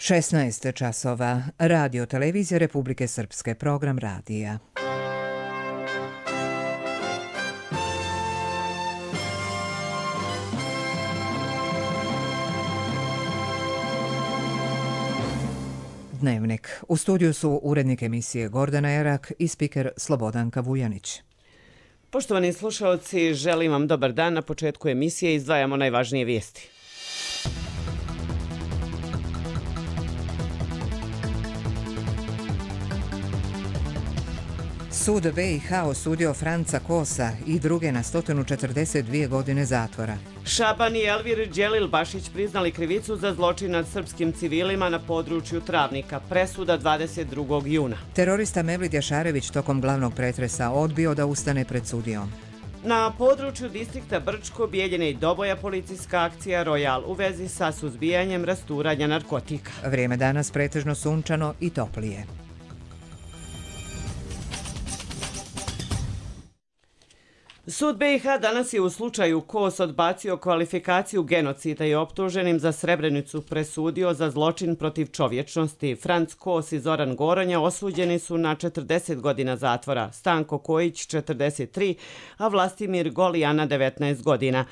16 časova. Radio Televizija Republike Srpske, program radija. Dnevnik. U studiju su urednik emisije Gordana Erak i spiker Slobodanka Vujanić. Poštovani slušalci, želim vam dobar dan. Na početku emisije izdvajamo najvažnije vijesti. Sud BiH osudio Franca Kosa i druge na 142 godine zatvora. Šaban i Elvir Đelil-Bašić priznali krivicu za zločin nad srpskim civilima na području Travnika. Presuda 22. juna. Terorista Mevlid Jašarević tokom glavnog pretresa odbio da ustane pred sudijom. Na području distrikta Brčko, Bijeljine i Doboja policijska akcija Royal u vezi sa suzbijanjem rasturanja narkotika. Vrijeme danas pretežno sunčano i toplije. Sud BiH danas je u slučaju Kos odbacio kvalifikaciju genocida i optuženim za Srebrenicu presudio za zločin protiv čovječnosti. Franc Kos i Zoran Goronja osuđeni su na 40 godina zatvora, Stanko Kojić 43, a Vlastimir Golijana 19 godina.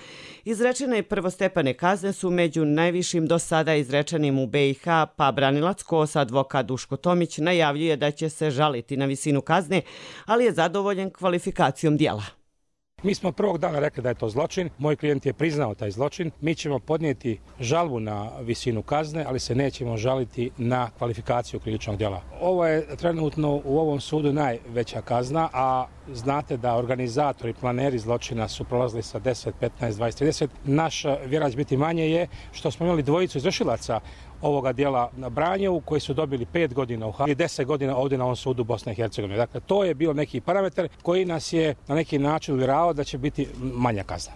Izrečene prvostepene kazne su među najvišim do sada izrečenim u BiH, pa branilac Kosa, advokat Duško Tomić, najavljuje da će se žaliti na visinu kazne, ali je zadovoljen kvalifikacijom djela. Mi smo prvog dana rekli da je to zločin, moj klijent je priznao taj zločin, mi ćemo podnijeti žalbu na visinu kazne, ali se nećemo žaliti na kvalifikaciju krivičnog djela. Ovo je trenutno u ovom sudu najveća kazna, a znate da organizatori, planeri zločina su prolazili sa 10, 15, 20, 30. Naš vjerać biti manje je što smo imali dvojicu izvršilaca ovoga dijela na Branjevu koji su dobili 5 godina u Hagu i 10 godina ovdje na ovom sudu Bosne i Hercegovine. Dakle, to je bio neki parametar koji nas je na neki način uvjeravao da će biti manja kazna.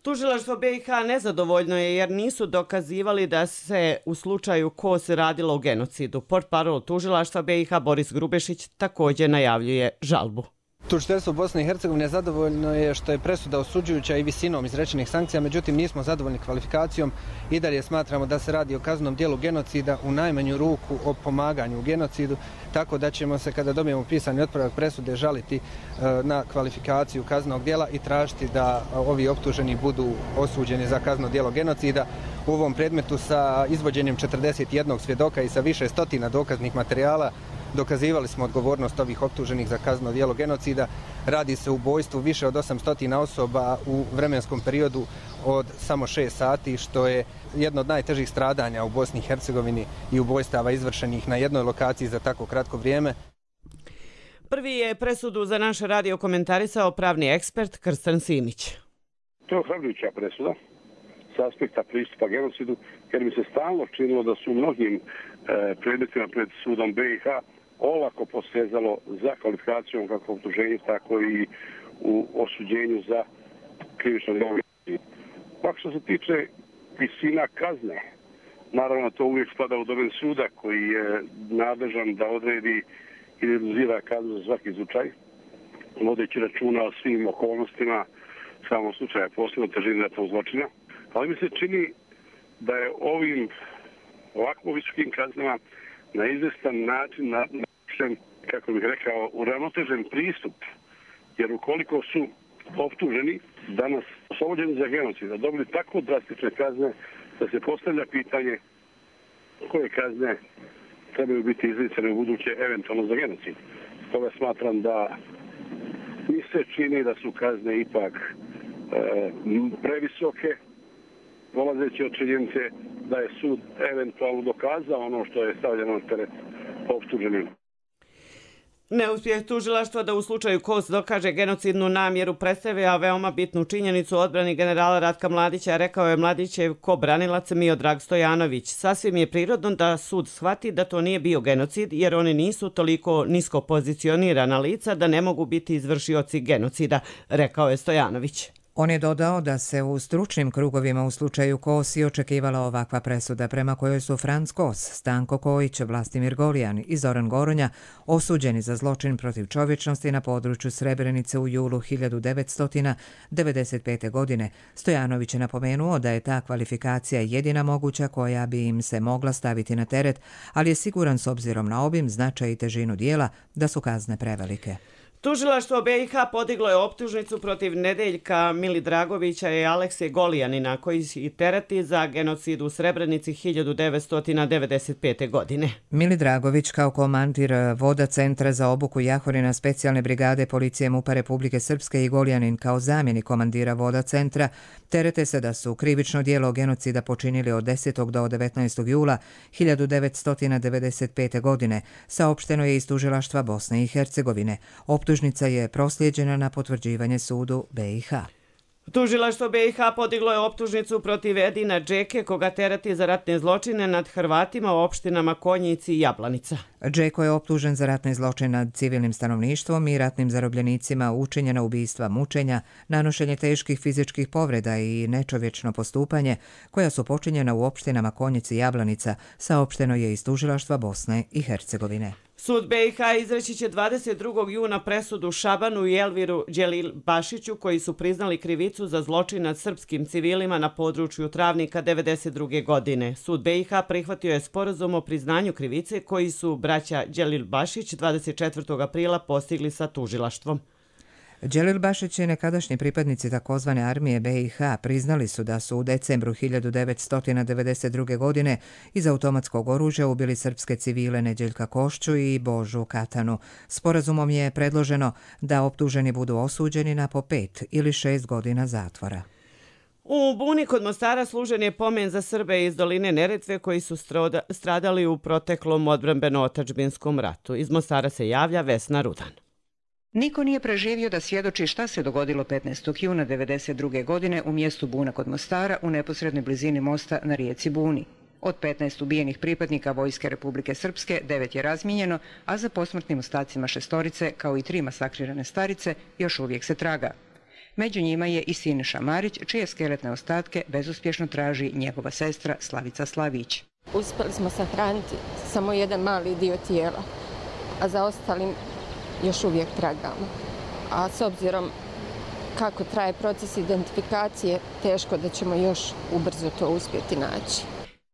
Tužilaštvo BiH nezadovoljno je jer nisu dokazivali da se u slučaju Kos radilo o genocidu. Portparol tužilaštva BiH Boris Grubešić također najavljuje žalbu. Tužiteljstvo Bosne i Hercegovine zadovoljno je što je presuda osuđujuća i visinom izrečenih sankcija, međutim nismo zadovoljni kvalifikacijom i dalje smatramo da se radi o kaznenom djelu genocida, u najmanju ruku o pomaganju u genocidu, tako da ćemo se kada dobijemo pisani otpravak presude žaliti na kvalifikaciju kaznenog djela i tražiti da ovi optuženi budu osuđeni za kazneno djelo genocida. U ovom predmetu sa izvođenjem 41 svjedoka i sa više stotina dokaznih materijala dokazivali smo odgovornost ovih optuženih za kazneno djelo genocida. Radi se o ubojstvu više od 800 osoba u vremenskom periodu od samo 6 sati, što je jedno od najtežih stradanja u Bosni i Hercegovini i ubojstava izvršenih na jednoj lokaciji za tako kratko vrijeme. Prvi je presudu za naš radio komentarisao pravni ekspert Krsten Simić. To je ohrabrujuća presuda sa aspekta pristupa genocidu, jer mi se stalno činilo da su u mnogim predmetima pred sudom BiH olako posezalo za kvalifikacijom kako optuženju, tako i u osuđenju za krivično djelo. Pa što se tiče visina kazne, naravno to uvijek spada u domen suda koji je nadležan da odredi i reduzira kaznu za svaki slučaj, vodeći računa o svim okolnostima samog slučaja, posebno težini ratnog zločina. Ali mi se čini da je ovim ovako visokim kaznama na izvestan način način, kako bih rekao, uravnotežen pristup. Jer ukoliko su optuženi danas oslobođeni za genocid, da dobili tako drastične kazne da se postavlja pitanje koje kazne trebaju biti izricane u buduće eventualno za genocid. Stoga smatram da mi se čini da su kazne ipak previsoke, polazeći od činjenice da je sud eventualno dokazao ono što je stavljeno na teret optuženim. Neuspjeh tužilaštva da u slučaju Kos dokaže genocidnu namjeru predstavlja veoma bitnu činjenicu u odbrani generala Ratka Mladića, rekao je Mladićev ko-branilac Miodrag Stojanović. Sasvim je prirodno da sud shvati da to nije bio genocid, jer oni nisu toliko nisko pozicionirana lica da ne mogu biti izvršioci genocida, rekao je Stojanović. On je dodao da se u stručnim krugovima u slučaju Kos i očekivala ovakva presuda prema kojoj su Franc Kos, Stanko Kojić, Vlastimir Golijan i Zoran Goronja osuđeni za zločin protiv čovječnosti na području Srebrenice u julu 1995. godine. Stojanović je napomenuo da je ta kvalifikacija jedina moguća koja bi im se mogla staviti na teret, ali je siguran s obzirom na obim, značaj i težinu dijela da su kazne prevelike. Tužilaštvo BiH podiglo je optužnicu protiv Nedeljka Milidragovića i Alekse Golijanina, koji ih tereti za genocid u Srebrenici 1995. godine. Milidragović kao komandir voda Centra za obuku Jahorina specijalne brigade policije MUP-a Republike Srpske i Golijanin kao zamjenik komandira voda Centra terete se da su krivično djelo genocida počinili od 10. do 19. jula 1995. godine, saopšteno je iz tužilaštva Bosne i Hercegovine. Optužnica je proslijeđena na potvrđivanje sudu BiH. Tužilaštvo BiH podiglo je optužnicu protiv Edina Džeke, koga tereti za ratne zločine nad Hrvatima u opštinama Konjici i Jablanica. Džeko je optužen za ratne zločine nad civilnim stanovništvom i ratnim zarobljenicima, učinjena ubistva, mučenja, nanošenje teških fizičkih povreda i nečovječno postupanje, koja su počinjena u opštinama Konjici i Jablanica, saopšteno je iz tužilaštva Bosne i Hercegovine. Sud BiH izreći će 22. juna presudu Šabanu i Elviru Đelilbašiću, koji su priznali krivicu za zločin nad srpskim civilima na području Travnika 1992. godine. Sud BiH prihvatio je sporazum o priznanju krivice koji su braća Đelilbašić 24. aprila postigli sa tužilaštvom. Đelilbašić i nekadašnji pripadnici takozvane armije BiH priznali su da su u decembru 1992. godine iz automatskog oružja ubili srpske civile Neđeljka Košću i Božu Katanu. Sporazumom je predloženo da optuženi budu osuđeni na po 5 ili 6 godina zatvora. U Buni kod Mostara služen je pomen za Srbe iz doline Neretve koji su stradali u proteklom odbrambeno-otadžbinskom ratu. Iz Mostara se javlja Vesna Rudan. Niko nije preživio da svjedoči šta se dogodilo 15. juna 1992. godine u mjestu Buna kod Mostara u neposrednoj blizini mosta na rijeci Buni. Od 15 ubijenih pripadnika Vojske Republike Srpske 9 je razmijenjeno, a za posmrtnim ostacima 6 kao i 3 masakrirane starice još uvijek se traga. Među njima je i Siniša Marić, čije skeletne ostatke bezuspješno traži njegova sestra Slavica Slavić. Uspjeli smo sahraniti samo jedan mali dio tijela, a za ostalim još uvijek tragamo. A s obzirom kako traje proces identifikacije, teško da ćemo još ubrzo to uspjeti naći.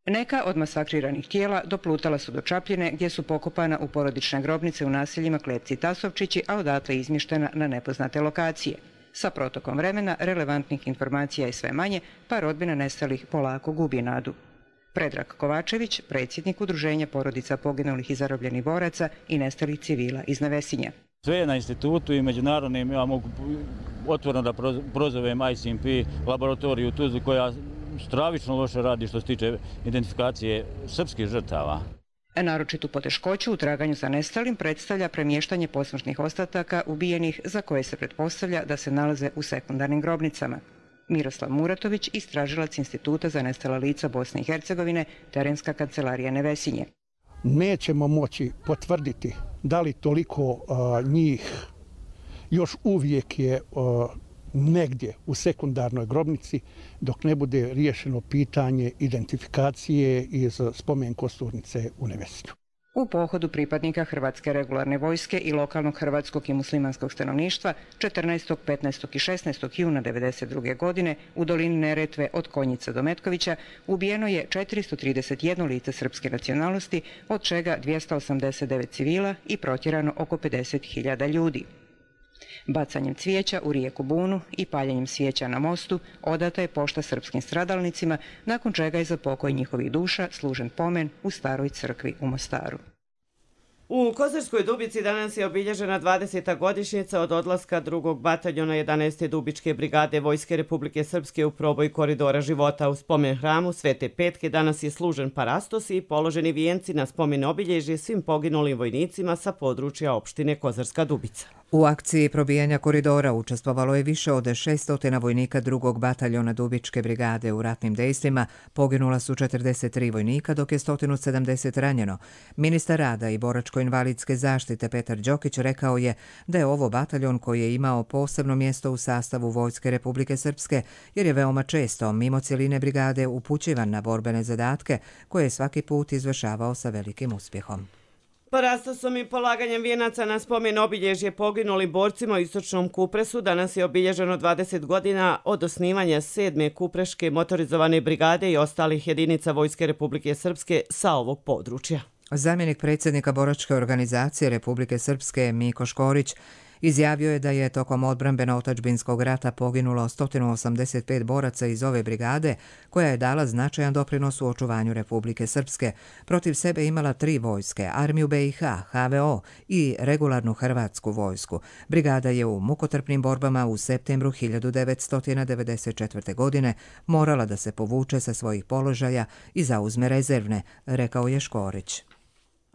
Neka od masakriranih tijela doplutala su do Čapljine, gdje su pokopana u porodične grobnice u naseljima Klepci i Tasovčići, a odatle izmještena na nepoznate lokacije. Sa protokom vremena relevantnih informacija je sve manje, pa rodbina nestalih polako gubi nadu. Predrag Kovačević, predsjednik Udruženja porodica poginulih i zarobljenih boraca i nestalih civila iz Nevesinja. Sve je na institutu i međunarodnim, ja mogu otvoreno da prozovem ICMP laboratoriju u Tuzli koja stravično loše radi što se tiče identifikacije srpskih žrtava. Naročitu poteškoću u traganju za nestalim predstavlja premještanje posmrtnih ostataka ubijenih za koje se pretpostavlja da se nalaze u sekundarnim grobnicama. Miroslav Muratović, istražilac Instituta za nestala lica Bosne i Hercegovine, terenska kancelarija Nevesinje. Nećemo moći potvrditi da li toliko njih još uvijek je negdje u sekundarnoj grobnici dok ne bude riješeno pitanje identifikacije iz spomen kosturnice u Nevesinju. U pohodu pripadnika Hrvatske regularne vojske i lokalnog hrvatskog i muslimanskog stanovništva 14., 15. i 16. juna 1992. godine u dolini Neretve od Konjica do Metkovića ubijeno je 431 lice srpske nacionalnosti, od čega 289 civila i protjerano oko 50.000 ljudi. Bacanjem cvijeća u rijeku Bunu i paljenjem svijeća na mostu odata je pošta srpskim stradalnicima, nakon čega je za pokoj njihovih duša služen pomen u staroj crkvi u Mostaru. U Kozarskoj Dubici danas je obilježena 20. godišnjica od odlaska 2. bataljona 11. Dubičke brigade Vojske Republike Srpske u proboj koridora života. U spomen hramu Svete Petke danas je služen parastos i položeni vijenci na spomen obilježje svim poginulim vojnicima sa područja opštine Kozarska Dubica. U akciji probijanja koridora učestvovalo je više od 600 vojnika drugog bataljona Dubičke brigade u ratnim dejstvima, poginula su 43 vojnika, dok je 170 ranjeno. Ministar rada i boračko-invalidske zaštite Petar Đokić rekao je da je ovo bataljon koji je imao posebno mjesto u sastavu Vojske Republike Srpske, jer je veoma često, mimo cjeline brigade, upućivan na borbene zadatke koje je svaki put izvršavao sa velikim uspjehom. Parastosom i polaganjem vijenaca na spomen obilježje poginulim borcima u istočnom Kupresu danas je obilježeno 20 godina od osnivanja 7. Kupreške motorizovane brigade i ostalih jedinica Vojske Republike Srpske sa ovog područja. Zamjenik predsjednika boračke organizacije Republike Srpske Miko Škorić izjavio je da je tokom odbrambeno-otadžbinskog rata poginulo 185 boraca iz ove brigade, koja je dala značajan doprinos u očuvanju Republike Srpske. Protiv sebe imala 3 vojske, armiju BiH, HVO i regularnu hrvatsku vojsku. Brigada je u mukotrpnim borbama u septembru 1994. godine morala da se povuče sa svojih položaja i zauzme rezervne, rekao je Škorić.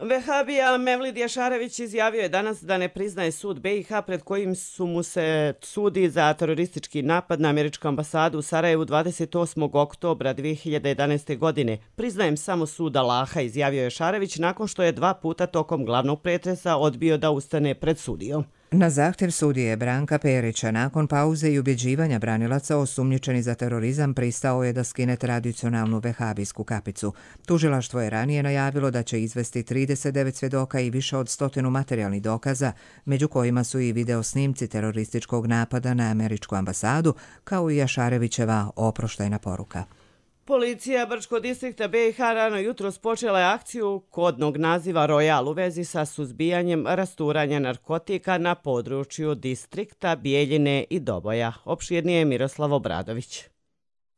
Vehabija Mevlid Jašarević izjavio je danas da ne priznaje sud BiH pred kojim su mu se sudi za teroristički napad na američku ambasadu u Sarajevu 28. oktobra 2011. godine. Priznajem samo sud Allaha, izjavio je Jašarević nakon što je 2 puta tokom glavnog pretresa odbio da ustane pred sudijom. Na zahtjev sudije Branka Perića, nakon pauze i ubjeđivanja branilaca, osumnjičeni za terorizam pristao je da skine tradicionalnu vehabijsku kapicu. Tužilaštvo je ranije najavilo da će izvesti 39 svjedoka i više od 100 materijalnih dokaza, među kojima su i video snimci terorističkog napada na američku ambasadu, kao i Jašarevićeva oproštajna poruka. Policija Brčkog distrikta BiH rano jutros počela je akciju kodnog naziva Royal u vezi sa suzbijanjem rasturanja narkotika na području distrikta Bijeljine i Doboja. Opširnije je Miroslav Obradović.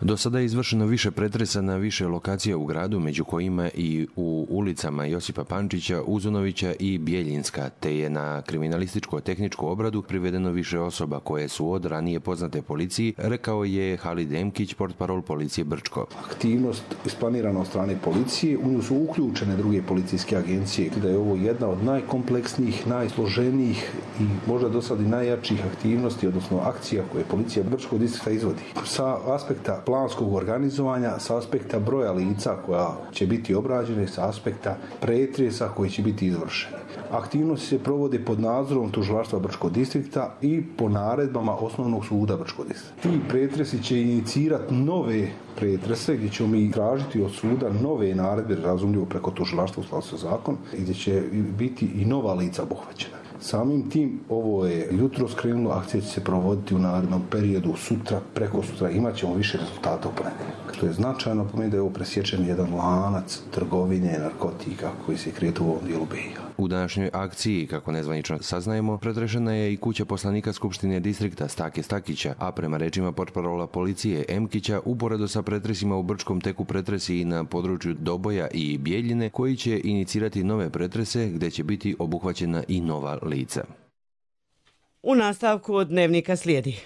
Do sada je izvršeno više pretresa na više lokacija u gradu, među kojima i u ulicama Josipa Pančića, Uzunovića i Bijeljinska, te je na kriminalističko-tehničku obradu privedeno više osoba koje su od ranije poznate policiji, rekao je Halid Emkić, portparol policije Brčko. Aktivnost isplanirana od strane policije, u nju su uključene druge policijske agencije, da je ovo jedna od najkompleksnijih, najsloženijih i možda do sada i najjačih aktivnosti, odnosno akcija koje policija Brčkog distrikta izvodi. Sa aspekta planskog organizovanja, sa aspekta broja lica koja će biti obrađene, sa aspekta pretresa koji će biti izvršeni. Aktivnosti se provode pod nadzorom tužilaštva Brčkog distrikta i po naredbama osnovnog suda Brčkog distrikta. Ti pretresi će inicirati nove pretrese gdje ćemo mi tražiti od suda nove naredbe, razumljivo preko tužilaštva u skladu sa zakon, gdje će biti i nova lica obuhvaćena. Samim tim, ovo je jutro skrenulo, akcija će se provoditi u narednom periodu, sutra, preko sutra, imat ćemo više rezultata u ponedjeljak. To je značajno, pomeni da je ovo presječen jedan lanac trgovine narkotika koji se kretu u ovom dijelu BiH. U današnjoj akciji, kako nezvanično saznajemo, pretrešena je i kuća poslanika Skupštine distrikta Stake Stakića, a prema rečima portparola policije Emkića, uporedo sa pretresima u Brčkom teku pretresi i na području Doboja i Bijeljine, koji će inicirati nove pretrese gdje će biti obuhvaćena i nova lica. U nastavku dnevnika slijedi.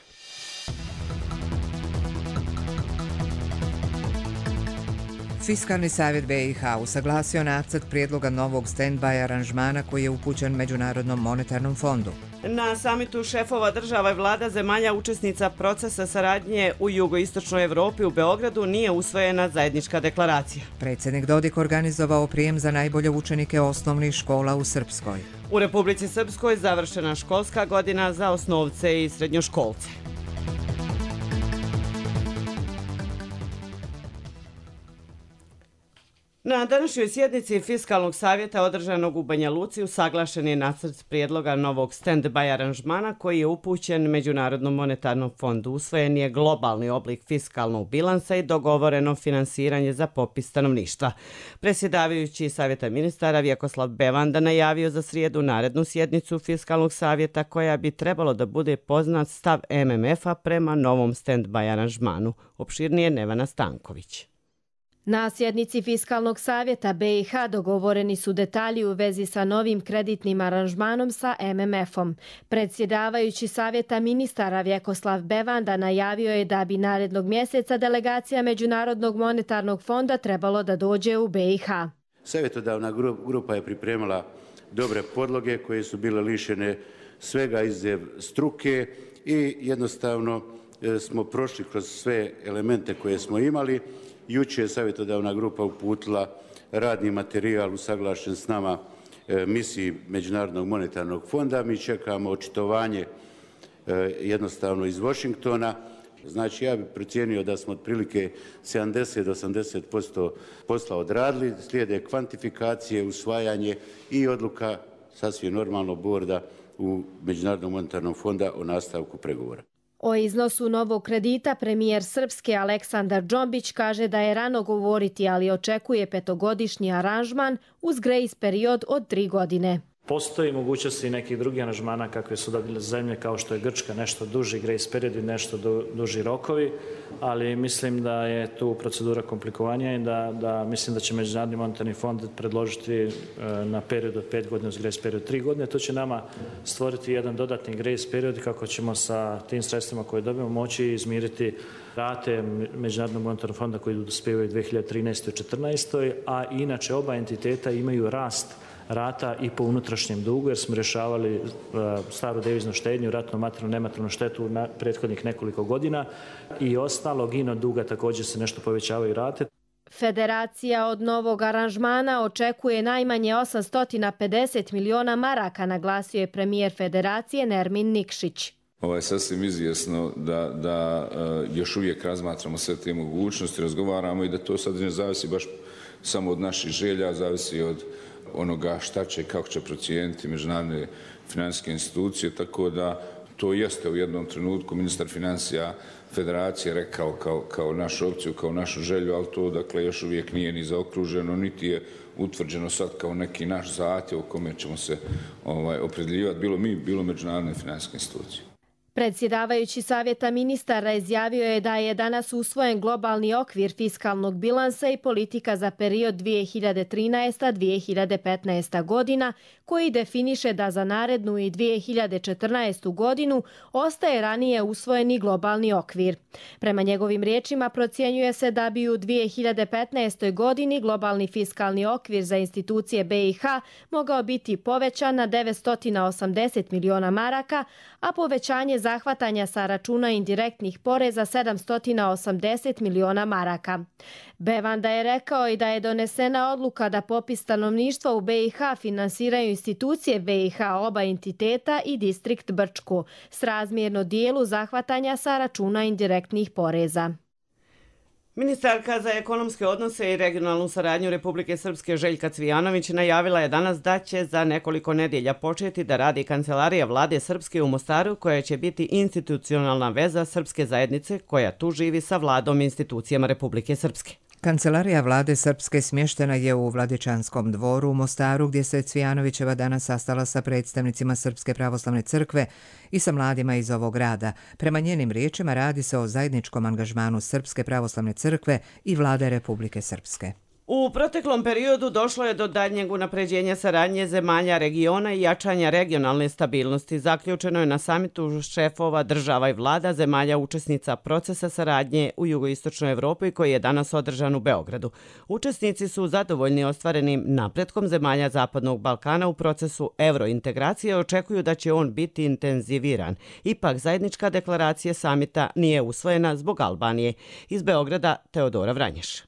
Fiskalni savjet BiH usaglasio nacrt prijedloga novog stand-by aranžmana koji je upućen Međunarodnom monetarnom fondu. Na samitu šefova država i vlada zemalja učesnica procesa saradnje u jugoistočnoj Evropi u Beogradu nije usvojena zajednička deklaracija. Predsjednik Dodik organizovao prijem za najbolje učenike osnovnih škola u Srpskoj. U Republici Srpskoj završena školska godina za osnovce i srednjoškolce. Na današnjoj sjednici Fiskalnog savjeta održanog u Banja Luci usaglašen je nacrt prijedloga novog stand-by aranžmana koji je upućen Međunarodnom monetarnom fondu. Usvojen je globalni oblik fiskalnog bilansa i dogovoreno finansiranje za popis stanovništva. Predsjedavajući Savjeta ministara Vjekoslav Bevanda najavio za srijedu narednu sjednicu Fiskalnog savjeta koja bi trebalo da bude poznat stav MMF-a prema novom stand-by aranžmanu. Opširnije Nevana Stanković. Na sjednici Fiskalnog savjeta BiH dogovoreni su detalji u vezi sa novim kreditnim aranžmanom sa MMF-om. Predsjedavajući Savjeta ministara Vjekoslav Bevanda najavio je da bi narednog mjeseca delegacija Međunarodnog monetarnog fonda trebalo da dođe u BiH. Savjetodavna grupa je pripremila dobre podloge koje su bile lišene svega izuzev struke i jednostavno smo prošli kroz sve elemente koje smo imali. Jučer je savjetodavna grupa uputila radni materijal usaglašen s nama misiji Međunarodnog monetarnog fonda. Mi čekamo očitovanje jednostavno iz Washingtona. Znači, ja bih procijenio da smo otprilike 70 do 80% posla odradili. Slijede kvantifikacije, usvajanje i odluka sasvim normalno borda u Međunarodnom monetarnom fonda o nastavku pregovora. O iznosu novog kredita premijer Srpske Aleksandar Džombić kaže da je rano govoriti, ali očekuje 5-godišnji aranžman uz grace period od 3 godine. Postoji mogućnosti nekih drugih aranžmana kakve su dobile zemlje kao što je Grčka, nešto duži grace period i nešto duži rokovi, ali mislim da je tu procedura komplikovanija i da mislim da će Međunarodni monetarni fond predložiti na period od 5 godina uz grace period 3 godine. To će nama stvoriti jedan dodatni grace period kako ćemo sa tim sredstvima koje dobijemo moći izmiriti rate Međunarodnog monetarnog fonda koji dospijevaju 2013. i 2014. A inače oba entiteta imaju rast rata i po unutrašnjem dugu, jer smo rješavali staru deviznu štednju, ratnu, materijalnu, nematerijalnu štetu na prethodnih nekoliko godina i ostalog ino duga također se nešto povećavaju rate. Federacija od novog aranžmana očekuje najmanje 850 miliona maraka, naglasio je premijer Federacije Nermin Nikšić. Ovo je sasvim izvjesno da još uvijek razmatramo sve te mogućnosti, razgovaramo i da to sad ne zavisi baš samo od naših želja, zavisi od onoga šta će i kako će procijeniti međunarodne financijske institucije, tako da to jeste u jednom trenutku ministar financija Federacije rekao kao našu opciju, kao našu želju, ali to dakle još uvijek nije ni zaokruženo, niti je utvrđeno sad kao neki naš zahtjev u kome ćemo se opredjeljivati, bilo mi, bilo međunarodne financijske institucije. Predsjedavajući Savjeta ministara izjavio je da je danas usvojen globalni okvir fiskalnog bilansa i politika za period 2013-2015 godina, koji definiše da za narednu i 2014. godinu ostaje ranije usvojeni globalni okvir. Prema njegovim riječima procjenjuje se da bi u 2015. godini globalni fiskalni okvir za institucije BiH mogao biti povećan na 980 miliona maraka, a povećanje zahvatanja sa računa indirektnih poreza 780 miliona maraka. Bevanda je rekao i da je donesena odluka da popis stanovništva u BiH finansiraju institucije BiH oba entiteta i distrikt Brčko, srazmjerno dijelu zahvatanja sa računa indirektnih poreza. Ministarka za ekonomske odnose i regionalnu saradnju Republike Srpske Željka Cvijanović najavila je danas da će za nekoliko nedjelja početi da radi kancelarija vlade Srpske u Mostaru, koja će biti institucionalna veza srpske zajednice koja tu živi sa vladom i institucijama Republike Srpske. Kancelarija vlade Srpske smještena je u Vladičanskom dvoru u Mostaru, gdje se Cvijanovićeva danas sastala sa predstavnicima Srpske pravoslavne crkve i sa mladima iz ovog grada. Prema njenim riječima radi se o zajedničkom angažmanu Srpske pravoslavne crkve i vlade Republike Srpske. U proteklom periodu došlo je do daljnjeg unapređenja saradnje zemalja regiona i jačanja regionalne stabilnosti. Zaključeno je na samitu šefova država i vlada zemalja učesnica procesa saradnje u jugoistočnoj Evropi koji je danas održan u Beogradu. Učesnici su zadovoljni ostvarenim napretkom zemalja Zapadnog Balkana u procesu evrointegracije i očekuju da će on biti intenziviran. Ipak zajednička deklaracija samita nije usvojena zbog Albanije. Iz Beograda Teodora Vranješ.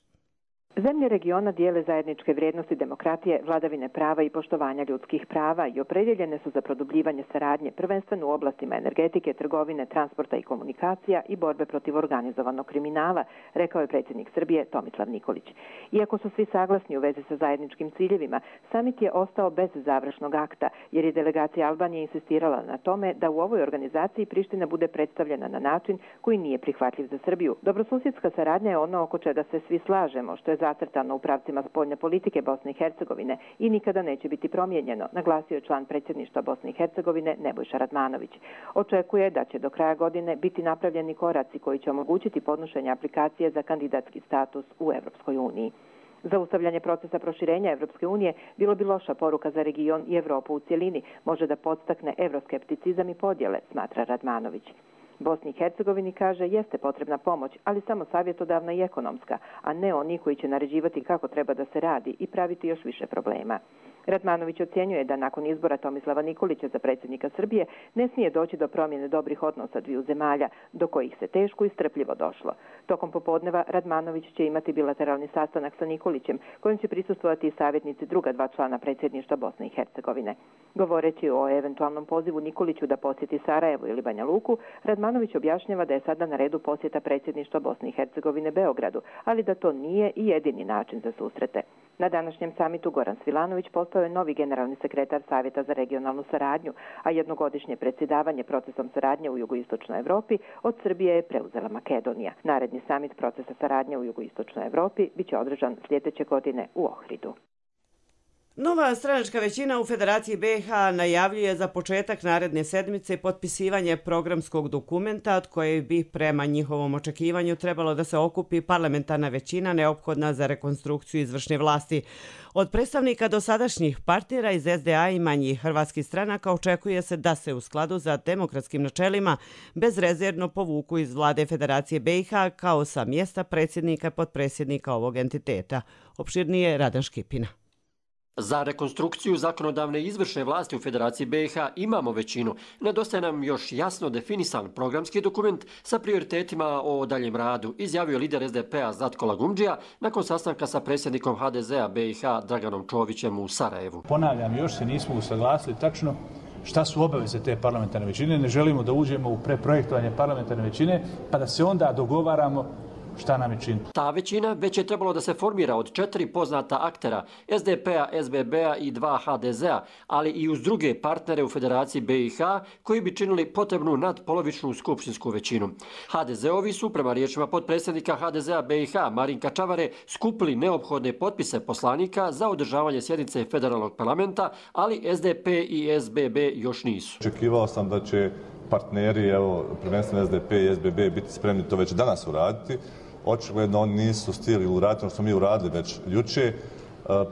Zemlje regiona dijele zajedničke vrijednosti demokratije, vladavine prava i poštovanja ljudskih prava i opredjeljene su za produbljivanje saradnje, prvenstveno u oblastima energetike, trgovine, transporta i komunikacija i borbe protiv organizovanog kriminala, rekao je predsjednik Srbije Tomislav Nikolić. Iako su svi saglasni u vezi sa zajedničkim ciljevima, samit je ostao bez završnog akta, jer je delegacija Albanije insistirala na tome da u ovoj organizaciji Priština bude predstavljena na način koji nije prihvatljiv za Srbiju. Dobrosusjedska saradnja je ono oko čega se svi slažemo, što je zacrtano u pravcima spoljne politike Bosne i Hercegovine i nikada neće biti promijenjeno, naglasio je član predsjedništva Bosne i Hercegovine Nebojša Radmanović. Očekuje da će do kraja godine biti napravljeni koraci koji će omogućiti podnošenje aplikacije za kandidatski status u Evropskoj uniji. Zaustavljanje procesa proširenja Evropske unije bilo bi loša poruka za region i Evropu u cjelini, može da podstakne evroskepticizam i podjele, smatra Radmanović. Bosni i Hercegovini, kaže, jeste potrebna pomoć, ali samo savjetodavna i ekonomska, a ne oni koji će naređivati kako treba da se radi i praviti još više problema. Radmanović ocjenjuje da nakon izbora Tomislava Nikolića za predsjednika Srbije ne smije doći do promjene dobrih odnosa dviju zemalja, do kojih se teško i strpljivo došlo. Tokom popodneva Radmanović će imati bilateralni sastanak sa Nikolićem, kojim će prisustvovati i savjetnici druga dva člana predsjedništva Bosne i Hercegovine. Govoreći o eventualnom pozivu Nikoliću da posjeti Sarajevo ili Banja Luku, Radmanović objašnjava da je sada na redu posjeta predsjedništva Bosne i Hercegovine Beogradu, ali da to nije i jedini način za susrete. Na današnjem samitu Goran Svilanović postao je novi generalni sekretar Savjeta za regionalnu saradnju, a jednogodišnje predsjedavanje procesom saradnje u jugoistočnoj Evropi od Srbije je preuzela Makedonija. Naredni samit procesa saradnje u jugoistočnoj Evropi biće održan sljedeće godine u Ohridu. Nova stranačka većina u Federaciji BiH najavljuje za početak naredne sedmice potpisivanje programskog dokumenta od koje bi prema njihovom očekivanju trebalo da se okupi parlamentarna većina neophodna za rekonstrukciju izvršne vlasti. Od predstavnika dosadašnjih partnera iz SDA i manjih hrvatskih stranaka očekuje se da se u skladu za demokratskim načelima bezrezervno povuku iz vlade Federacije BiH kao sa mjesta predsjednika i potpredsjednika ovog entiteta. Opširnije Radan Škipina. Za rekonstrukciju zakonodavne i izvršne vlasti u Federaciji BiH imamo većinu. Nedostaje nam još jasno definisan programski dokument sa prioritetima o daljem radu, izjavio lider SDP-a Zlatko Lagumdžija nakon sastanka sa predsjednikom HDZ-a BiH Draganom Čovićem u Sarajevu. Ponavljam, još se nismo usaglasili tačno šta su obaveze te parlamentarne većine. Ne želimo da uđemo u preprojektovanje parlamentarne većine pa da se onda dogovaramo šta nam je činiti. Ta većina već je trebalo da se formira od 4 poznata aktera, SDP-a, SBB-a i 2 HDZ-a, ali i uz druge partnere u Federaciji BiH koji bi činili potrebnu nadpolovičnu skupštinsku većinu. HDZ-ovi su, prema riječima potpredsjednika HDZ-a BiH Marinka Čavare, skupili neophodne potpise poslanika za održavanje sjednice federalnog parlamenta, ali SDP i SBB još nisu. Očekivao sam da će partneri, prvenstveno SDP i SBB, biti spremni to već danas uraditi. Očigledno oni nisu stigli uraditi ono što smo mi uradili već jučer.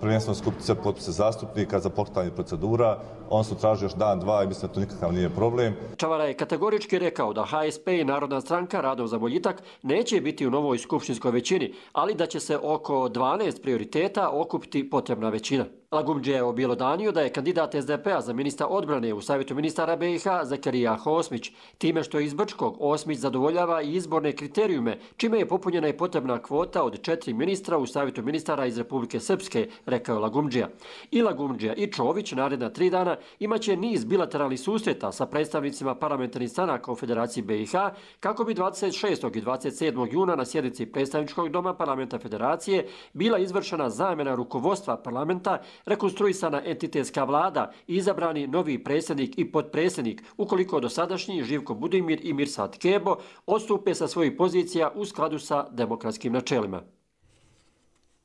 Prvenstveno skupiti sve potpise zastupnika za pokretanje procedura. On su tražili još dan, dva i mislim da to nikakav nije problem. Čavara je kategorički rekao da HSP i Narodna stranka Radom za boljitak neće biti u novoj skupštinskoj većini, ali da će se oko 12 prioriteta okupiti potrebna većina. Lagumdžija je objelodanio da je kandidat SDP-a za ministra odbrane u Savjetu ministara BiH Zakarija Osmić, time što iz Brčkog Osmić zadovoljava i izborne kriterijume, čime je popunjena i potrebna kvota od 4 ministra u Savjetu ministara iz Republike Srpske, rekao Lagumdžija. I Lagumdžija i Čović naredna 3 dana imaće niz bilateralnih susreta sa predstavnicima parlamentarnih stranaka u Federaciji BiH kako bi 26. i 27. juna na sjednici predstavničkog doma parlamenta Federacije bila izvršena zamjena rukovodstva parlamenta, rekonstruisana entitetska vlada i izabrani novi predsjednik i potpredsjednik ukoliko dosadašnji Živko Budimir i Mirsad Kebo odstupe sa svojih pozicija u skladu sa demokratskim načelima.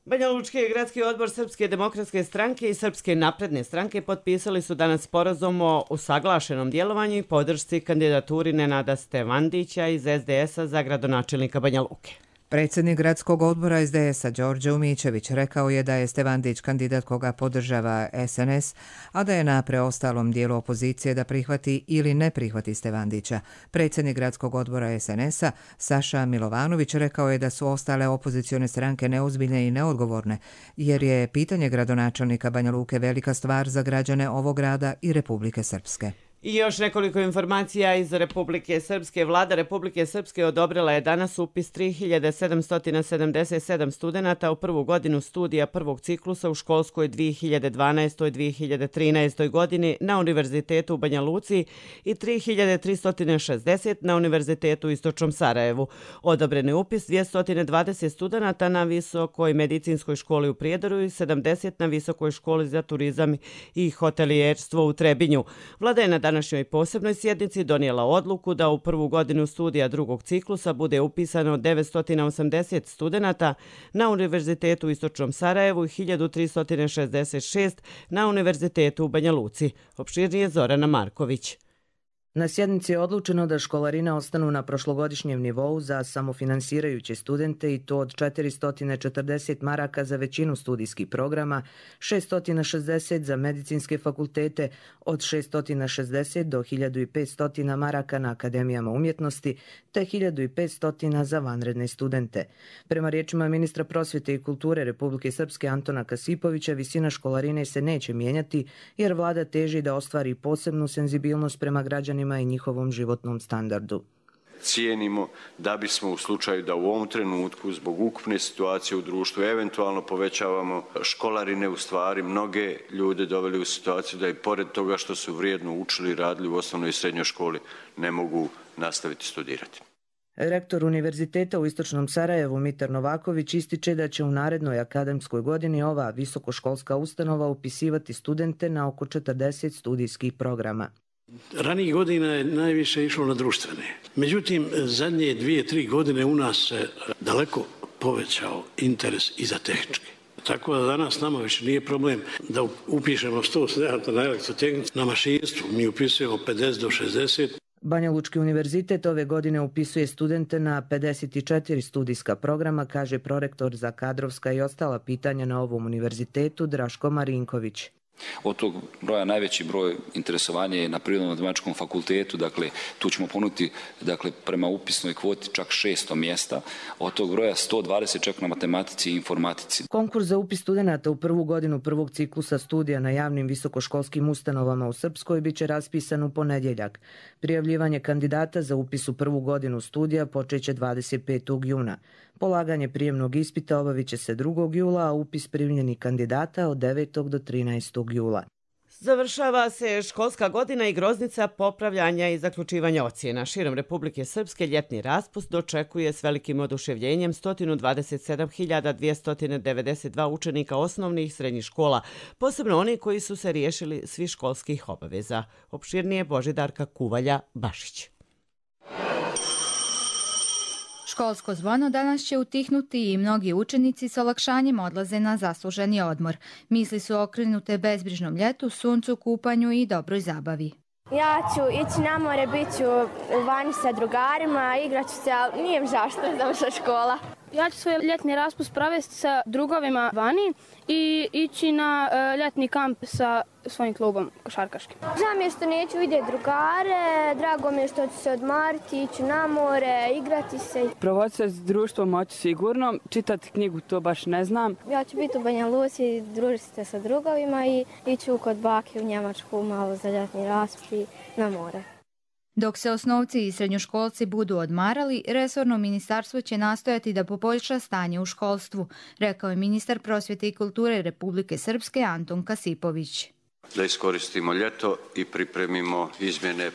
Banjalučki gradski odbor Srpske demokratske stranke i Srpske napredne stranke potpisali su danas sporazum o usaglašenom djelovanju i podršci kandidaturi Nenada Stevandića iz SDS-a za gradonačelnika Banja Luke. Predsjednik gradskog odbora SDS-a Đorđe Umićević rekao je da je Stevandić kandidat koga podržava SNS, a da je na preostalom dijelu opozicije da prihvati ili ne prihvati Stevandića. Predsjednik gradskog odbora SNS-a Saša Milovanović rekao je da su ostale opozicione stranke neozbiljne i neodgovorne, jer je pitanje gradonačelnika Banja Luke velika stvar za građane ovog grada i Republike Srpske. I još nekoliko informacija iz Republike Srpske. Vlada Republike Srpske odobrila je danas upis 3777 studenata u prvu godinu studija prvog ciklusa u školskoj 2012-2013 godini na Univerzitetu u Banja Luci i 3360 na Univerzitetu u Istočnom Sarajevu. Odobren je upis 220 studenata na Visokoj medicinskoj školi u Prijedoru i 70 na Visokoj školi za turizam i hotelijerstvo u Trebinju. Vlada je na današnjoj posebnoj sjednici donijela odluku da u prvu godinu studija drugog ciklusa bude upisano 980 studenata na Univerzitetu u Istočnom Sarajevu i 1366 na Univerzitetu u Banja Luci. Opširnije Zorana Marković. Na sjednici je odlučeno da školarine ostanu na prošlogodišnjem nivou za samofinansirajuće studente i to od 440 maraka za većinu studijskih programa, 660 za medicinske fakultete, od 660 do 1500 maraka na akademijama umjetnosti, te 1500 za vanredne studente. Prema riječima ministra prosvjete i kulture Republike Srpske Antona Kasipovića, visina školarine se neće mijenjati jer vlada teži da ostvari posebnu senzibilnost prema građanima i njihovom životnom standardu. Cijenimo da bismo u slučaju da u ovom trenutku zbog ukupne situacije u društvu eventualno povećavamo školarine, u stvari mnoge ljude doveli u situaciju da i pored toga što su vrijedno učili i radili u osnovnoj i srednjoj školi ne mogu nastaviti studirati. Rektor Univerziteta u Istočnom Sarajevu Mitar Novaković ističe da će u narednoj akademskoj godini ova visokoškolska ustanova upisivati studente na oko 40 studijskih programa. Ranijih godina je najviše išlo na društvene. Međutim, zadnje 2-3 godine u nas se daleko povećao interes i za tehničke. Tako da danas nama više nije problem da upišemo 100 studenata na elektrotehnici, na mašinstvu mi upisujemo 50 do 60. Banja Lučki univerzitet ove godine upisuje studente na 54 studijska programa, kaže prorektor za kadrovska i ostala pitanja na ovom univerzitetu Draško Marinković. Od tog broja najveći broj interesovanja je na Prirodno-matematičkom fakultetu, dakle tu ćemo ponuditi prema upisnoj kvoti čak 600 mjesta, od tog broja 120 čak na matematici i informatici. Konkurs za upis studenata u prvu godinu prvog ciklusa studija na javnim visokoškolskim ustanovama u Srpskoj biće raspisan u ponedjeljak. Prijavljivanje kandidata za upis u prvu godinu studija počeće 25. juna. Polaganje prijemnog ispita obavit će se 2. jula, a upis primljenih kandidata od 9. do 13. jula. Završava se školska godina i groznica popravljanja i zaključivanja ocjena. Širom Republike Srpske ljetni raspust dočekuje s velikim oduševljenjem 127.292 učenika osnovnih i srednjih škola, posebno oni koji su se riješili svih školskih obaveza. Opširnije Božidarka Kuvalja-Bašić. Školsko zvono danas će utihnuti i mnogi učenici s olakšanjem odlaze na zasluženi odmor. Misli su okrenute bezbrižnom ljetu, suncu, kupanju i dobroj zabavi. Ja ću ići na more, bit ću vani sa drugarima, igrat ću se, ali nije mi žao što je završila škola. Ja ću svoj ljetni raspust provesti sa drugovima vani i ići na ljetni kamp sa svojim klubom košarkaškim. Žao mi je što neću vidjeti drugare, drago mi je što ću se odmariti, ići na more, igrati se. Provoditi se s društvom moći sigurno, čitati knjigu to baš ne znam. Ja ću biti u Banja Luci, družiti se sa drugovima i ići kod bake u Njemačku malo za ljetni raspust i na more. Dok se osnovci i srednjoškolci budu odmarali, resorno ministarstvo će nastojati da poboljša stanje u školstvu, rekao je ministar prosvjete i kulture Republike Srpske Anton Kasipović. Da iskoristimo ljeto i pripremimo izmjene,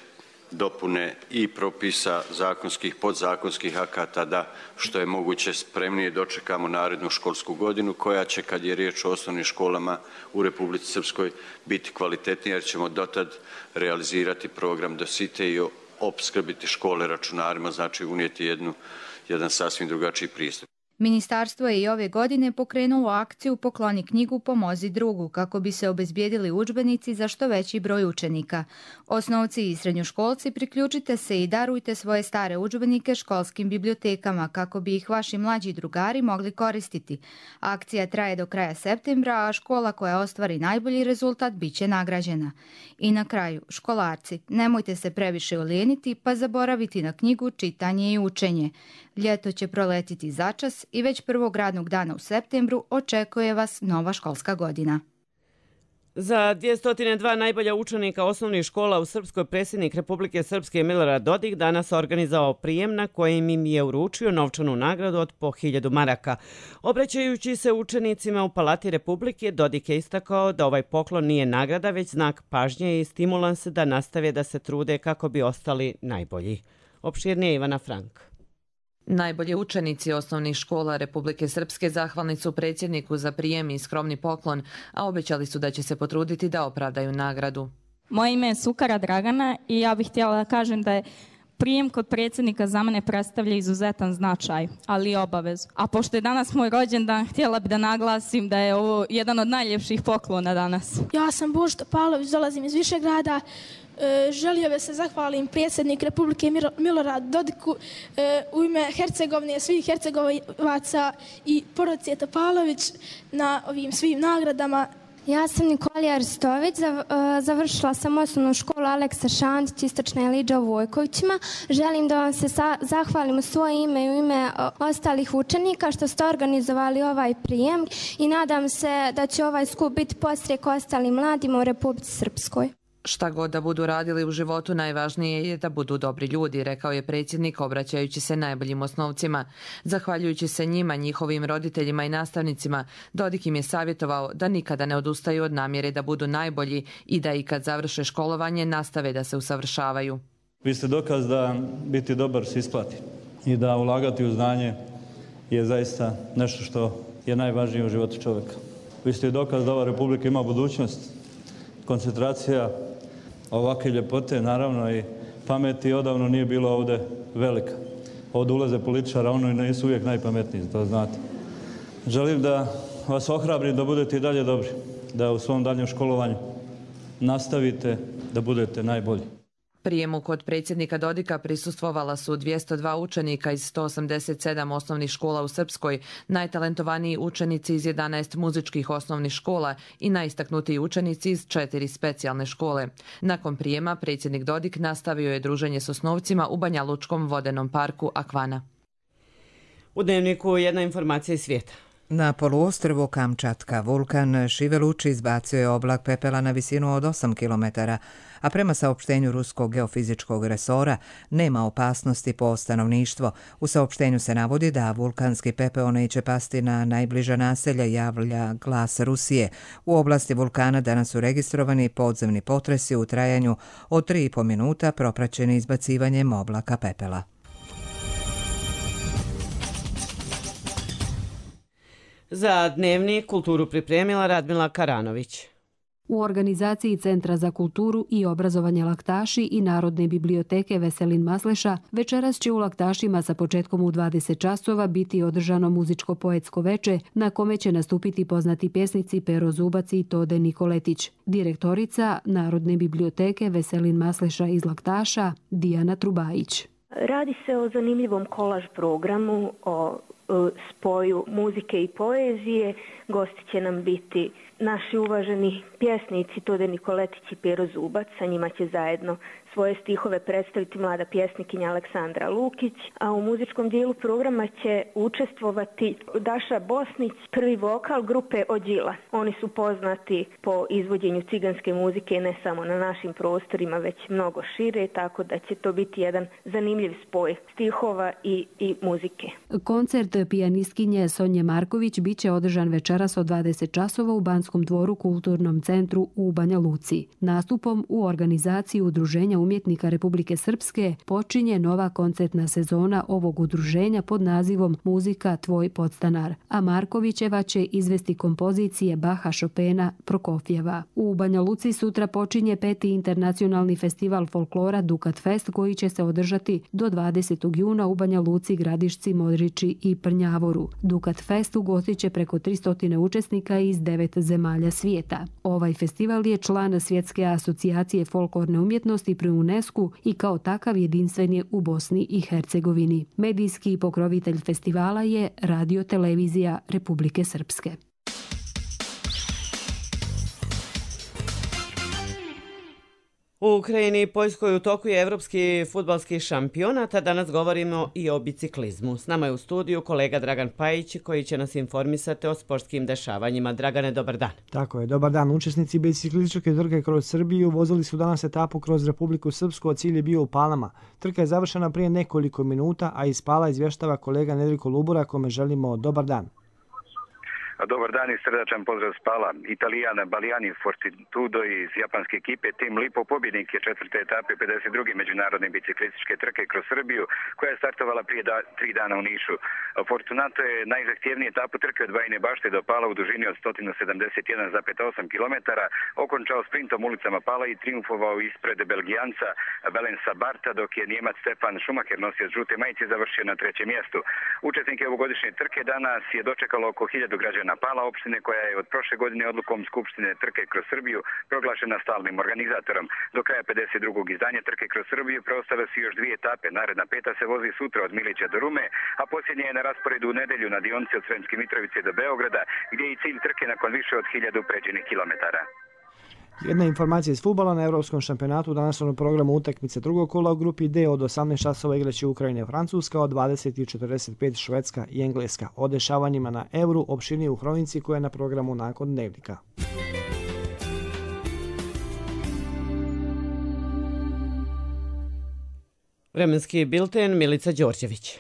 dopune i propisa zakonskih, podzakonskih akata da što je moguće spremnije dočekamo narednu školsku godinu koja će, kad je riječ o osnovnim školama u Republici Srpskoj, biti kvalitetnija jer ćemo dotad realizirati program dosite i opskrbiti škole računarima, znači unijeti jedan sasvim drugačiji pristup. Ministarstvo je i ove godine pokrenulo akciju Pokloni knjigu, pomozi drugu, kako bi se obezbijedili udžbenici za što veći broj učenika. Osnovci i srednjoškolci, priključite se i darujte svoje stare udžbenike školskim bibliotekama kako bi ih vaši mlađi drugari mogli koristiti. Akcija traje do kraja septembra, a škola koja ostvari najbolji rezultat bit će nagrađena. I na kraju, školarci, nemojte se previše ulijeniti pa zaboraviti na knjigu, čitanje i učenje. Ljeto će proletiti začas i već prvog radnog dana u septembru očekuje vas nova školska godina. Za 202 najbolja učenika osnovnih škola u Srpskoj predsjednik Republike Srpske Milorad Dodik danas organizovao prijem na kojem im je uručio novčanu nagradu od po 1000 maraka. Obraćajući se učenicima u Palati Republike, Dodik je istakao da ovaj poklon nije nagrada, već znak pažnje i stimulans da nastave da se trude kako bi ostali najbolji. Opširnije Ivana Frank. Najbolji učenici osnovnih škola Republike Srpske zahvalni su predsjedniku za prijem i skromni poklon, a obećali su da će se potruditi da opravdaju nagradu. Moje ime je Sukara Dragana i ja bih htjela da kažem da je Prijem kod predsjednika za mene predstavlja izuzetan značaj, ali i obavezu. A pošto je danas moj rođendan, htjela bi da naglasim da je ovo jedan od najljepših poklona danas. Ja sam Božo Topalović, dolazim iz Višegrada. Želio bih se zahvalim predsjednik Republike Milorad Dodiku u ime Hercegovine, svih Hercegovaca i porodice Topalović na ovim svim nagradama. Ja sam Nikolija Arstović, završila sam osnovnu školu Aleksa Šantić, Istočna Eliđa u Vojkovićima. Želim da vam se zahvalim u svoje ime i u ime ostalih učenika što ste organizovali ovaj prijem i nadam se da će ovaj skup biti podstrijek ostalim mladima u Republici Srpskoj. Šta god da budu radili u životu, najvažnije je da budu dobri ljudi, rekao je predsjednik obraćajući se najboljim osnovcima. Zahvaljujući se njima, njihovim roditeljima i nastavnicima, Dodik im je savjetovao da nikada ne odustaju od namjere da budu najbolji i da i kad završe školovanje nastave da se usavršavaju. Vi ste dokaz da biti dobar se isplati i da ulagati u znanje je zaista nešto što je najvažnije u životu čovjeka. Vi ste dokaz da ova republika ima budućnost, koncentracija ovakve ljepote, naravno i pameti odavno nije bilo ovdje velika. Ovdje ulaze političara, ono i nisu uvijek najpametniji, to znate. Želim da vas ohrabrim da budete i dalje dobri, da u svom daljem školovanju nastavite da budete najbolji. Prijemu kod predsjednika Dodika prisustvovala su 202 učenika iz 187 osnovnih škola u Srpskoj, najtalentovaniji učenici iz 11 muzičkih osnovnih škola i najistaknutiji učenici iz 4 specijalne škole. Nakon prijema predsjednik Dodik nastavio je druženje s osnovcima u Banjalučkom vodenom parku Akvana. U Dnevniku jedna informacija iz svijeta. Na poluostrvu Kamčatka vulkan Šiveluči izbacio je oblak pepela na visinu od 8 km, a prema saopštenju Ruskog geofizičkog resora nema opasnosti po stanovništvo. U saopštenju se navodi da vulkanski pepeo neće pasti na najbliža naselja, javlja Glas Rusije. U oblasti vulkana danas su registrovani podzemni potresi u trajanju od 3,5 minuta propraćeni izbacivanjem oblaka pepela. Za Dnevnik kulturu pripremila Radmila Karanović. U organizaciji Centra za kulturu i obrazovanje Laktaši i Narodne biblioteke Veselin Masleša večeras će u Laktašima sa početkom u 20 časova biti održano muzičko-poetsko veče na kome će nastupiti poznati pjesnici Pero Zubac i Tode Nikoletić. Direktorica Narodne biblioteke Veselin Masleša iz Laktaša Dijana Trubajić. Radi se o zanimljivom kolaž programu, o spoju muzike i poezije. Gosti će nam biti naši uvaženi pjesnici Tode Nikoletić i Pero Zubac. Sa njima će zajedno svoje stihove predstaviti mlada pjesnikinja Aleksandra Lukić, a u muzičkom dijelu programa će učestvovati Daša Bosnić, prvi vokal grupe Ođila. Oni su poznati po izvođenju ciganske muzike ne samo na našim prostorima, već mnogo šire, tako da će to biti jedan zanimljiv spoj stihova i muzike. Koncert pijanistkinje Sonje Marković biće održan večeras od 20 časova u Banskom dvoru kulturnom centru u Banja Luci. Nastupom u organizaciji Udruženja umjetnika Republike Srpske počinje nova koncertna sezona ovog udruženja pod nazivom Muzika tvoj podstanar, a Markovićeva će izvesti kompozicije Baha, Chopina, Prokofjeva. U Banja Luci sutra počinje 5. internacionalni festival folklora Dukat Fest koji će se održati do 20. juna u Banja Luci, Gradišci, Modriči i Prnjavoru. Dukat Fest ugostit će preko 300 učesnika iz 9 zemalja svijeta. Ovaj festival je član Svjetske asocijacije folklorne umjetnosti pri UNESCO i kao takav jedinstven je u Bosni i Hercegovini. Medijski pokrovitelj festivala je Radio Televizija Republike Srpske. U Ukrajini i Poljskoj u toku je evropski fudbalski šampionat, a danas govorimo i o biciklizmu. S nama je u studiju kolega Dragan Pajić koji će nas informisati o sportskim dešavanjima. Dragane, dobar dan. Tako je, dobar dan. Učesnici biciklističke trke kroz Srbiju vozili su danas etapu kroz Republiku Srpsku, a cilj je bio u Palama. Trka je završena prije nekoliko minuta, a iz Pala izvještava kolega Nedjeljko Lubura kome želimo dobar dan. Dobar dan i srdačan pozdrav s Pala. Italijana Balijani Fortitudo iz japanske ekipe Team Lipo pobjednik je četvrte etape 52. međunarodne biciklističke trke kroz Srbiju koja je startovala prije 3 dana u Nišu. Fortunato je najzahtjevniju etapu trke od Bajine Bašte do Pala u dužini od 171,8 km okončao sprintom ulicama Pala i triumfovao ispred Belgijanca Belensa Barta, dok je Njemac Stefan Schumacher nosio žute majice završio na 3. mjestu. Učesnike ovogodišnje trke danas je dočekalo oko 1000 građana Pala, opštine koja je od prošle godine odlukom Skupštine trke kroz Srbiju proglašena stalnim organizatorom. Do kraja 52. izdanja trke kroz Srbiju preostale su još 2 etape. Naredna 5. se vozi sutra od Milića do Rume, a posljednja je na rasporedu u nedelju na dionici od Sremske Mitrovice do Beograda, gdje je i cilj trke nakon više od 1000 pređenih kilometara. Jedna informacija iz fudbala. Na Evropskom šampionatu danas na programu utakmice drugog kola u grupi D od 18 časova igraće Ukrajina i Francuska, od 20:45 Švedska i Engleska. O dešavanjima na Euru opširnije u hronici koja je na programu nakon dnevnika. Vremenski bilten Milica Đorđević.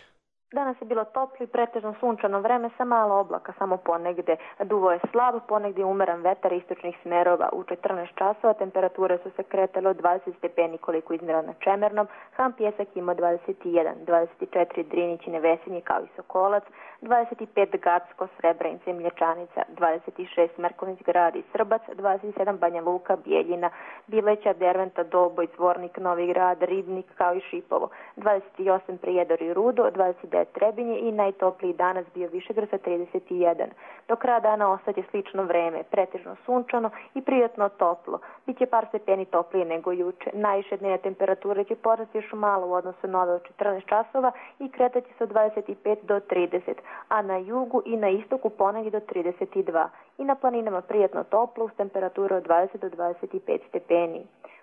Danas je bilo toplo i pretežno sunčano vreme sa malo oblaka, samo ponegde duvo je slab, ponegdje umeran vetar istočnih smerova. U 14 časova temperature su se kretale od 20 stepeni koliko iznimno na Čemernom, Ham Pjesak ima 21, 24 Drinić i Nevesinji kao i Sokolac, 25 Gacko, Srebrenica i Mlječanica, 26 Marković Grad i Srbac, 27 Banja Luka, Bijeljina, Bileća, Derventa, Doboj, Zvornik, Novi Grad, Ribnik kao i Šipovo, 28 Prijedor i Rudo, 29 Trebinje i najtopliji danas bio Višegrad sa 31. Do kraja dana ostaće slično vreme, pretežno sunčano i prijatno toplo. Biće par stepeni toplije nego juče. Najviše dnevne temperature će porasti još malo u odnosu na ove od 14 časova i kretaće se od 25 do 30, a na jugu i na istoku ponegdje do 32. I na planinama prijatno toplo uz temperaturu od 20 do 25 stepeni.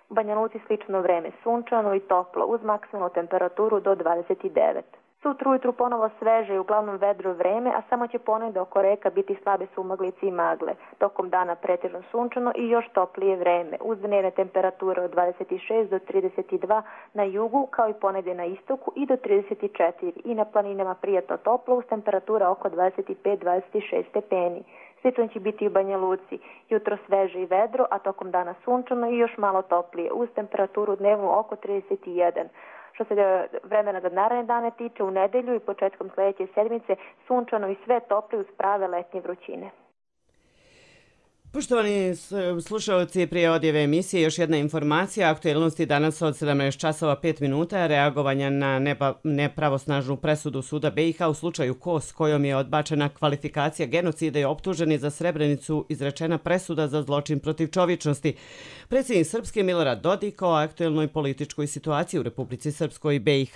U Banja Luci slično vreme, sunčano i toplo uz maksimalnu temperaturu do 29. Sutra ujutru ponovo sveže i uglavnom vedro vreme, a samo će ponegdje oko reka biti slabe sumaglice i magle. Tokom dana pretežno sunčano i još toplije vreme, uz dnevne temperature od 26 do 32 na jugu, kao i ponegdje na istoku i do 34 i na planinama prijatno toplo uz temperatura oko 25-26 stepeni. Slično će biti i u Banja Luci. Jutro sveže i vedro, a tokom dana sunčano i još malo toplije, uz temperaturu dnevnu oko 31. Što se vremena za naredne dane tiče, u nedelju i početkom sljedeće sedmice sunčano i sve toplije uz prave letnje vrućine. Poštovani slušalci, prije odjeve emisije još jedna informacija. Aktuelnosti danas od 17 časova 5 minuta reagovanja na nepravosnažnu presudu suda BiH u slučaju Kos, kojom je odbačena kvalifikacija genocida i optuženi za Srebrenicu izrečena presuda za zločin protiv čovječnosti. Predsjednik Srpske Milorad Dodik o aktuelnoj političkoj situaciji u Republici Srpskoj i BiH.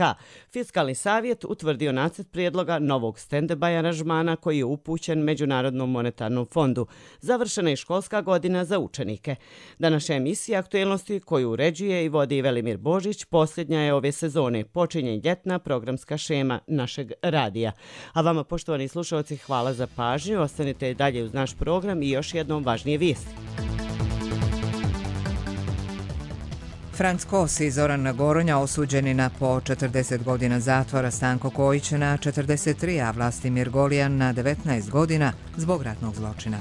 Fiskalni savjet utvrdio nacrt prijedloga novog stand-by aranžmana koji je upućen Međunarodnom monetarnom fondu. Završena je školska godina za učenike. Današnja emisija aktuelnosti koju uređuje i vodi Velimir Božić posljednja je ove sezone. Počinje ljetna programska šema našeg radija. A vama, poštovani slušalci, hvala za pažnju. Ostanite dalje uz naš program i još jednom važnije vijesti. Franc Kos i Zoran Goronja osuđeni na po 40 godina zatvora, Stanko Kojić na 43, a Vlastimir Golijan na 19 godina zbog ratnog zločina.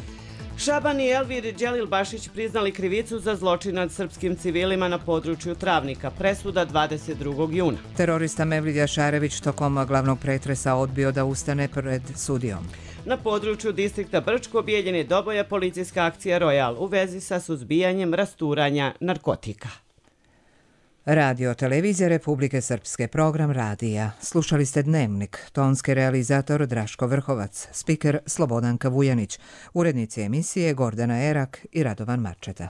Šaban i Elvir Đelil-Bašić priznali krivicu za zločin nad srpskim civilima na području Travnika. Presuda 22. juna. Terorista Mevlidja Šarević tokom glavnog pretresa odbio da ustane pred sudijom. Na području distrikta Brčko Bijeljen je doboja policijska akcija Royal u vezi sa suzbijanjem rasturanja narkotika. Radio televizija Republike Srpske, program radija. Slušali ste Dnevnik, tonski realizator Draško Vrhovac, spiker Slobodanka Vujanić, urednici emisije Gordana Erak i Radovan Marčeta.